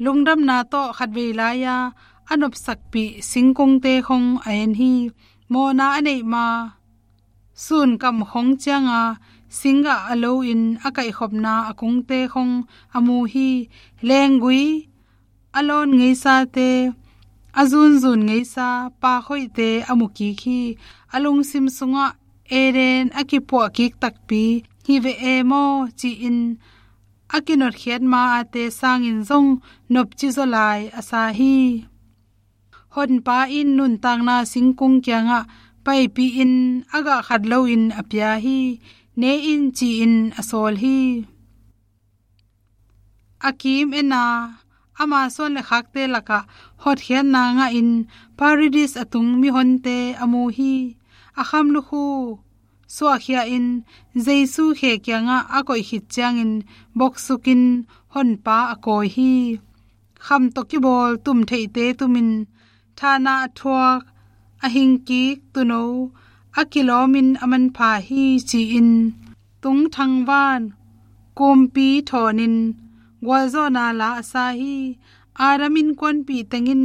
Lungdamna tawh khatvei lai-a a nopsakpih singkungte khong a en hi. Mawhna a neih ma sunkam khong cianga singgah a loin a kaihkhopna a kungte khong a mu hi. Lenggui a lawn ngeisate, a zunzun ngeisa pakhoihte a mu kik hi. A lungsim sungah Eden a kipuah kik takpi hi ve e maw ci-in a kinotkhiat ma-ate sangin zong nopci zaw lai a sa hi. Honpa in nuntakna singkung kiangah paipihin a gah khat loin a pia hi. Ne in ci-in a sawl hi. A kim ena ama suan le khakte lakah hotkhiatna ngahin Paradis a tung mihonte a mu hi. A kham lukhu suahkhia in Jesu khe kiangah a koih khit ciangin boksukin Honpa a kawi hi. Kham tawh kibawl tumtheihte tumin thahna a thuak a hingkik tuuno a kilawmin a manpha hi ci-in tungthang van kumpi thawnin gualzawhna la a sa hi. Adam innkuanpih tengin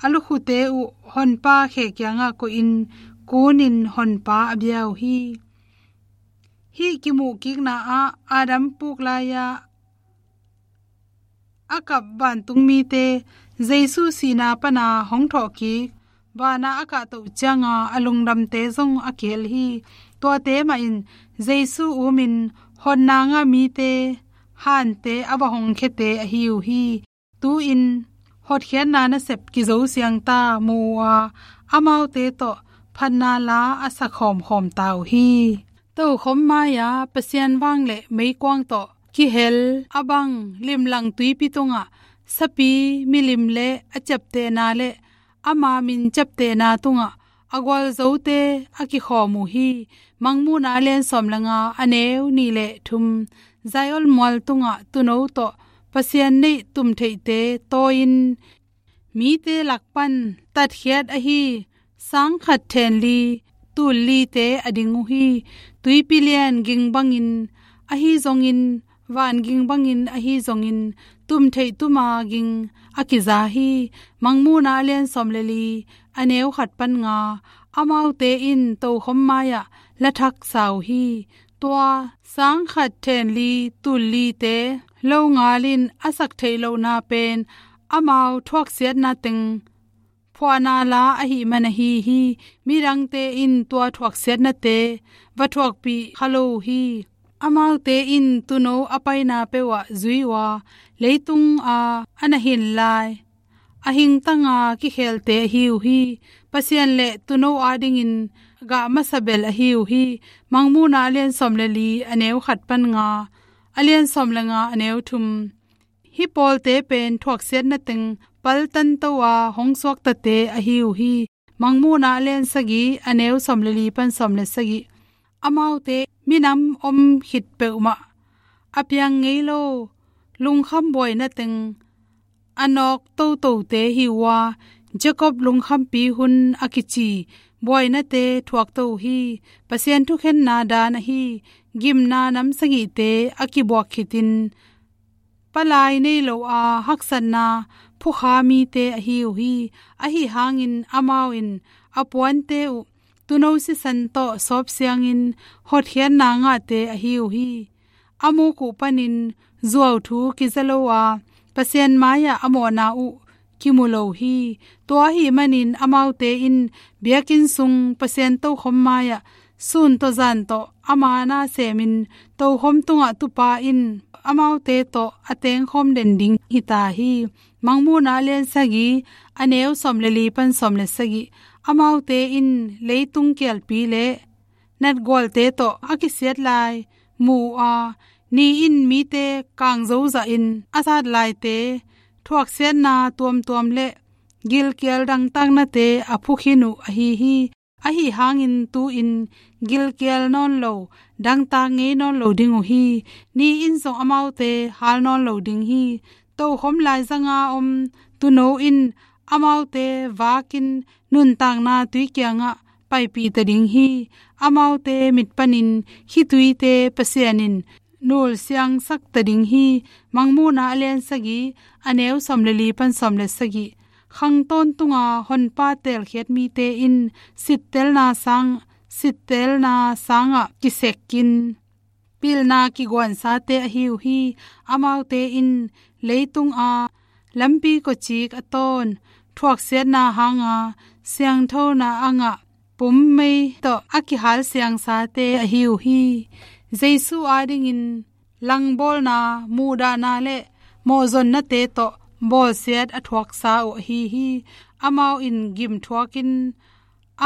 a lukhute uh Honpa khe kiangah koihin kunin Honpa a bia uh hi. Hih kimuhkikna ah Adam puk lai-a a kap vantung mite Jesu sihna pana hong thawhkik vana a kahtoh cianga a lungdamte zong a kihel hi. Tuate mahin Jesu umin hotna ngah mite hante a va hongkhiate ahi uh hi. Tu-in hotkhiatna nasep kizo siangta mu uh a, amaute tawh phatna la a sa khawmkhawm ta uh hi. Tokhom mai-a Pasian vang le meikuang tawh kihel a bang limlang tuipi tungah sapi milim le a ciaptehna le ama min ciaptehna tungah a gualzote a kikhawm uh hi. Mangmuhna a lian sawm le nga a neu nih le thum. Zion mual tungah tuuno tawh Pasian neih tumtheihte tawi-in mite lak pan tatkhiat ahi sang khat then li tul lite a ding uh hi. Tuipi lian ging bangin ahi zongin, van ging bangin ahi zongin, tumtheih tuma ging a kiza hi. Mangmuhna a lian sawm le li a neu khat pan nga. Amaute in tokhom mai-ah la thak sa uh hi. Tua sang khat then li tul lite lo ngalin a sak theih lohna pen amau thuaksiatna teng phuahna la ahih man ahi hi. Midangte in tua thuaksiatnate va thuakpih kha lo uh hi. Amaute in tuuno a paina peuhah zui uh a, leitung a a na hin lai a hingtanga kikhelte ahi uh hi. Pasian le tuuno adingin gah masa bel ahi uh hi. Mangmuhna a lian sawm le li a neu khat pan nga, a lian sawm le nga a neu thum. Hih pawlte pen thuaksiatna teng paltanto a hong suaktate ahi uh hi. Mangmuhna a lian sagih a neu sawm le li pan sawm le sagih. Amaute minam om khit peuhmah a piang ngei lo lungkham buaina teng a nawk totote hi uh a, Jacob lungkhampi hun a kici buainate thuakto uh hi. Pasian thukhenna dan ahi gimna nam sagihte a kibuak khitin palai nei lo a haksatna phukha mite ahi uh hi. Ahi hangin amau in a puante uh tuuno sisan tawh sawp siangin hotkhiatna ngahte ahi uh hi. A muk uh panin zuau thu kiza lo a, Pasian mai-ah a mawhna uh kimu lo hi. Tua ahih manin amaute in biakinn sung Pasian tokhom mai-ah sun tawh zan tawh ama na semin tokhom tungah tupa in amaute tawh a tengkhawm den ding hita hi. Mangmuhna a lian sagih a neu sawm le li pan sawm le sagih. Amaute in leitung kialpi le natgualte tawh a kisiat lai mu uh a, ni in mite kangzo zahin a sat laite thuaksiatna tuamtuam le gilkial dangtaknate a phukhin uh ahi hi. Ahi hangin tu-in gilkial nawn lo, dangtak ngei nawn lo ding uh hi. Ni in zong amaute hal nawn lo ding hi. Tokhom laizanga om tuuno in Amaute vakin nuntakna tui kiangah paipih ta ding hi. Amaute mit panin khituite Pasian in nul siangsak ta ding hi. Mangmuhna a lian sagih, a neu sawm le li pan sawm le sagih. Khang tawntunga honpa teelkhiat mite in sittelna sang, sittelna sangah kisekin pilna kiguansate ahi uh hi. Amaute in leitunga lampi kawcik a tawn, thuaksiatna hanga siangthona a ngah, pummei tawh a kihal siangsate ahi uh hi. Jesu adingin langbawlna, muhdahna le mawhzonnate tawh bawlsiat a thuaksa uh ahi hi. Amau in gim thuakin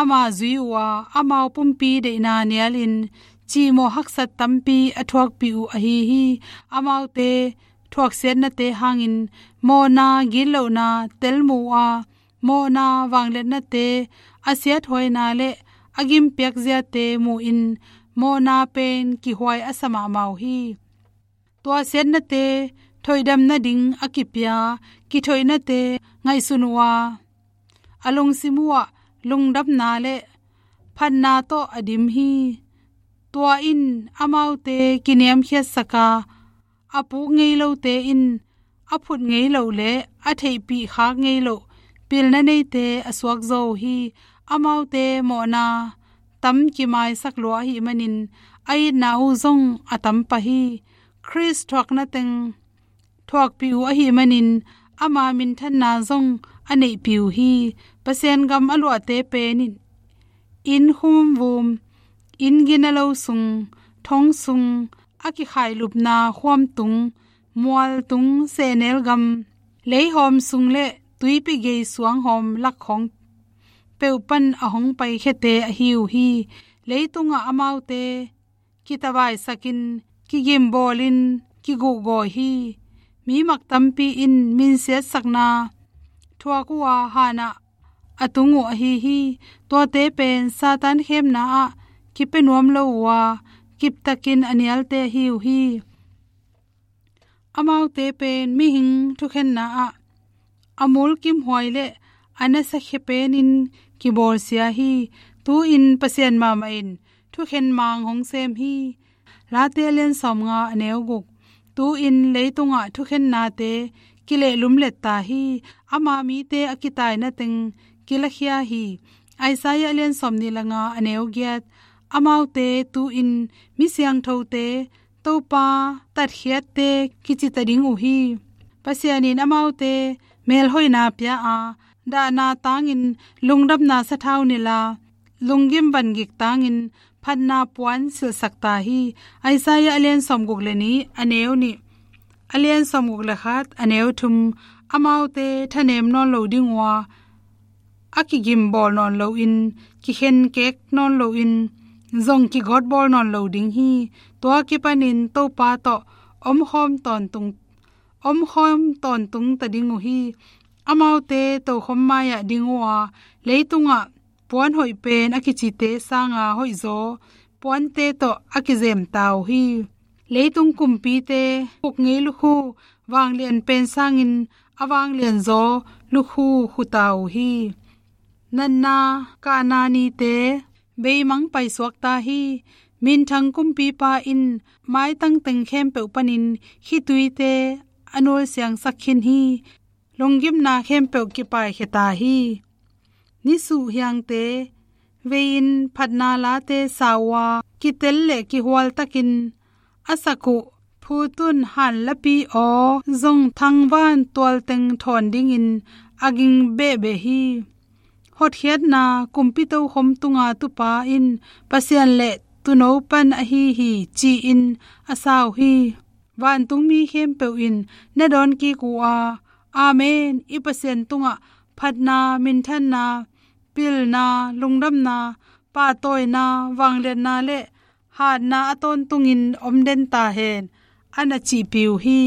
ama zui uh a, amau pumpi deihna nialin cihmawh haksat tampi a thuakpih uh ahi hi. Amaute thuaksiatnate hangin mawhna, gitlohna, telmuh a, mawhna, vangliatnate, a siathuaina le a gimpiak ziate muhin mawhna pen kihuai a sa mahmah uh hi. Tua siatnate thoihdam nading a kipia kithoihnate ngaihsun uh a, a lungsim uhah lungdamna le phatna tawh a dim hi. Tua in amaute kiniamkhiatsak a, a puk ngei lote in a phut ngei loh le a theihpih khak ngei loh pilna neite a suakzaw uh hi. Amaute mawhna tam kimaisak lua ahih manin a itna uh zong a tam pah hi. Khrist thuakna teng thuakpih uh ahih manin ama minthanna zong a neihpih uh hi. Pasian gam a luahte pen in inn khumvum, inn gina lo sung, thong sung, a kikhailupna khuamtung, mualtung, sehnel gam, leihawm sung le tuipi gei suanghawm lakkhawng peuh pan a hong paikhiate ahi uh hi. Leitungah amaute kitavaisakin, kigimbawlin, kiguhgawi hi. Mi mak tampi in minsiatsakna thuak uh a, hanah a tung uh ahi hi. Tuate pen Satan khemna ah kipia nuam lo uh a, kiptakin a nialte ahi uh hi. Amaute pen mihing thukhenna ah a mulkimhuai le a nasakhia penin kibawlsia hi. Tu-in Pasian mahmah in thukhen mang hong sem hi. Late a lian sawmnga, a neu guk. Tu-in leitungah thukhennate kilehlum letta hi. Ama mite a kitaina teng kilakhia hi. Isaiah a lian sawmnih le nga, a neu giat. Amaute tu-in mi siangthote, Topa tatkhiatte kici ta ding uh hi. Pasian in amaute melhoihna pia a, dahna tangin lungdamna sathau nilh a, lunggim vangik tangin phatna puan silhsak ta hi. Isaiah a lian sawmguk le nih, a neu nih, a lian sawmguk le khat, a neu thum. Amaute thanem nawn lo ding uh a, a kigimbawl nawn loin, kikhenkek nawn loin, zong kigawtbawl nawn lo ding hi. Tua kipanin Topa tawh omkhawm tawntung, omkhawm tawntung ta ding uh hi. Amaute tokhom mai-ah ding uh a, leitungah puan hoih pen a kicite sanga hoihzaw puante tawh a kizem ta uh hi. Leitung kumpite khuk ngei lukhu vanglian pen sangin a vanglianzaw lukhu khu ta uh hi. Natna kahna nite beimang paisuak ta hi. Minthang kumpipa in maitang teng khempeuh panin khituite a nulsiangsak khin hi. Lunggimna khempeuh kipaikhia ta hi. Nisuh hiangte vei-in phatna late sa uh a, kitel le kihualtakin a sak uh phutun hanlapi aw zong thangvan tualteng thawn dingin a ging behbeh hi. Hotkhiatna kumpi tokhom tunga tupa in Pasian le tuuno pan ahi hi, ci-in a sa uh hi. Vantungmi khempeuh in na dawnkik uh a, Amen, i Pasian tungah phatna, minthanna, pilna, lungdamna, pahtawina, vangliatna le hatna a tawntungin om den ta hen, a na cihpih uh hi.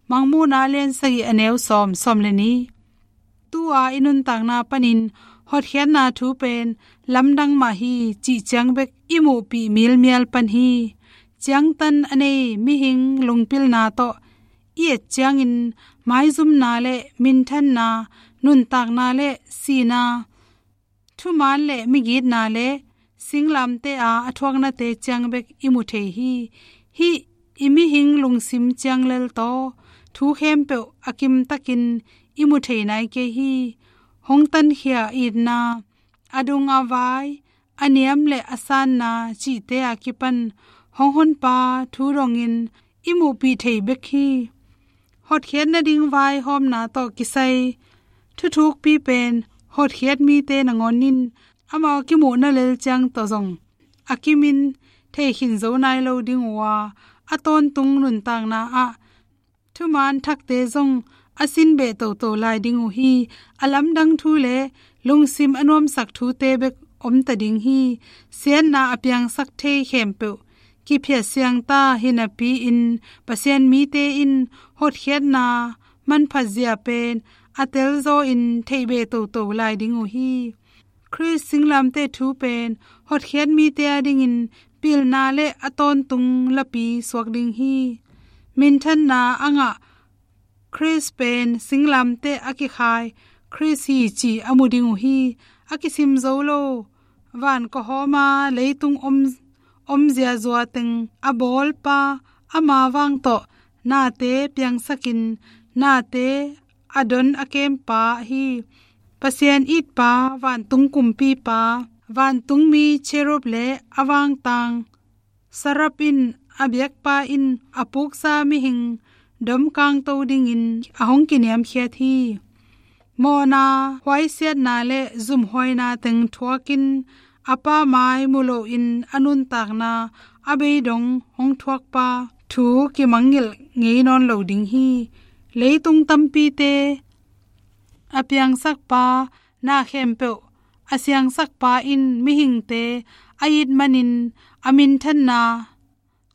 Mangmuhna a lian sagih, a neu sawm, sawm le nih. Tu-a i nuntakna panin hotkhiatna thu pen lamdang mah hi cih ciang bek i muhpih milmial pan hi. Ciangtan a nei mihing lungpilna tawh i et ciangin maizumna le minthanna, nuntakna le sihna, thuman le migitna le singlamteh a a thuaknate ciang bek i mu thei hi. Hih i mihing lungsim ciang lel tawh thu khempeuh a kimtakin i mu thei nai kei hi. Hong tankhia itna, a dung a vai, a niam le a sanna cihte a kipan hong honpa thu dongin i muhpih thei bek hi. Hotkhiat nading vaihawmna tawh kisai thuthukpi pen hotkhiat mite nangawn in amau kimuhna lel ciang tawh zong a kimin thei khin zo nai lo ding uh a, a tawntung nuntakna ah thuman thakte zong a sin beh toto lai ding uh hi. A lamdang thu le lungsim a nuamsak thute bek om ta ding hi. Siatna a piangsak thei khempeuh kiphiat siang ta hi napi-in Pasian mite in hotkhiatna manphat zia pen a telzaw in theih beh toto lai ding uh hi. Khrist singlamteh thu pen hotkhiat mite adingin pilna le a tawntung lapi suak ding hi. Minthanna a ngah Khrist pen singlamteh a kikhai Khrist hi ci a mu ding uh hi. A kisim zo lo van kawhawma leitung om, om ziazua teng a bawlpa, ama vang tawh nate piangsakin nate a don a kempa hi. Pasian itpa, vantung kumpipa, vantungmi cherub le a vangtang seraph in a biakpa in a puksa mihing domkangto dingin a hong kiniamkhiat hi. Mawhna huaisiatna le zumhuaina teng thuakin a Pa mai mu loin a nuntakna a beidong hong thuakpa thu kimangngilh ngei nawn lo ding hi. Leitung tampite a piangsakpa, na khempeuh a siangsakpa in mihingte a it manin a minthanna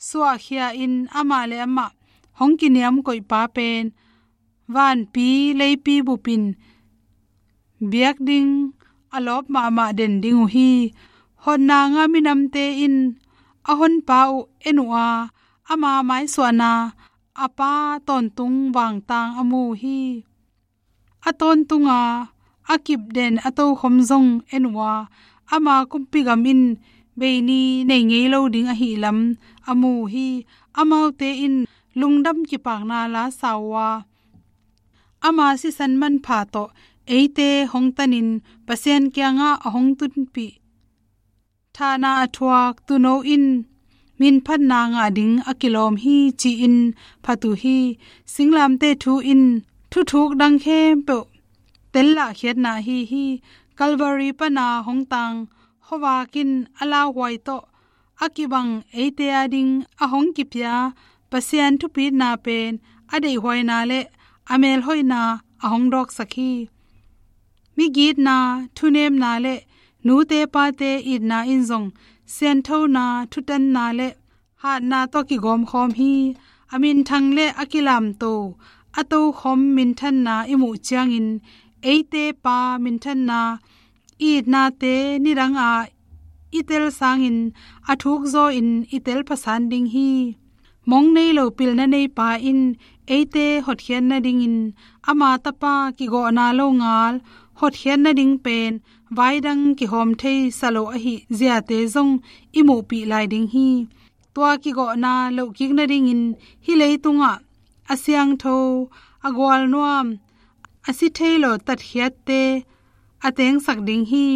suahkhia in amah le amah hong kiniamkoihpa pen vanpi leipi bupin biak ding a lawp mahmah den ding uh hi. Hotna ngah minamte in a honpa uh en uh a, ama maisuahna a Pa tawntung vangtang a mu uh hi. A tawntunga a kipden a tokhom zong en uh a, ama kumpigam in beini nei ngei lo ding ahih lam a mu uh hi. Amaute in lungdam kipakna la sa uh a, ama sisan manpha tawh eite hong tanin Pasian kiangah a hong tunpih thahna a thuak tuuno in minphatna ngah ding a kilawm hi ci-in phat uh hi. Singlamteh thu in thuthuk dang khempeuh tellahkhiatna ahi hi. Calvary pana hong tang khuavak in a lauhuai tawh a kibang eite ading a hong kipia Pasian thupitna pen a deihhuaina le a melhoihna a hong dawksak hi. Migitna, thunemna le nute pate itna in zong sianthona, thutanna le hatna tawh kigawmkhawm hi. A minthang le a kilamto a tokhom minthanna i muh ciangin eite Pa minthanna itnate nidanga i tel sangin a thukzawin i tel phasan ding hi. Mong nei lo pilna neipa in eite hotkhiat nadingin ama Tapa kigawhna lo ngal hotkhiat nading pen vaidang kihawm thei sa lo ahi ziate zong i muhpih lai ding hi. Tua kigawhna lohkik nadingin hih leitungah a siangtho, a gualnuam, a si thei lo tatkhiatte a tengsak ding hi.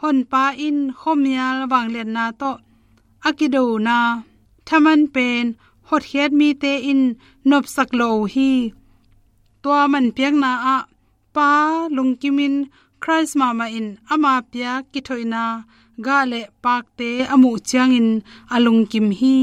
Honpa in khuamial vangliatna tawh a kidona thaman pen hotkhiat mite in nopsak lo uh hi. Tua manpiakna ah Pa lungkimin Khrist mahmah in ama piak kithoihna gah le pakte a muh ciangin a lungkim hi.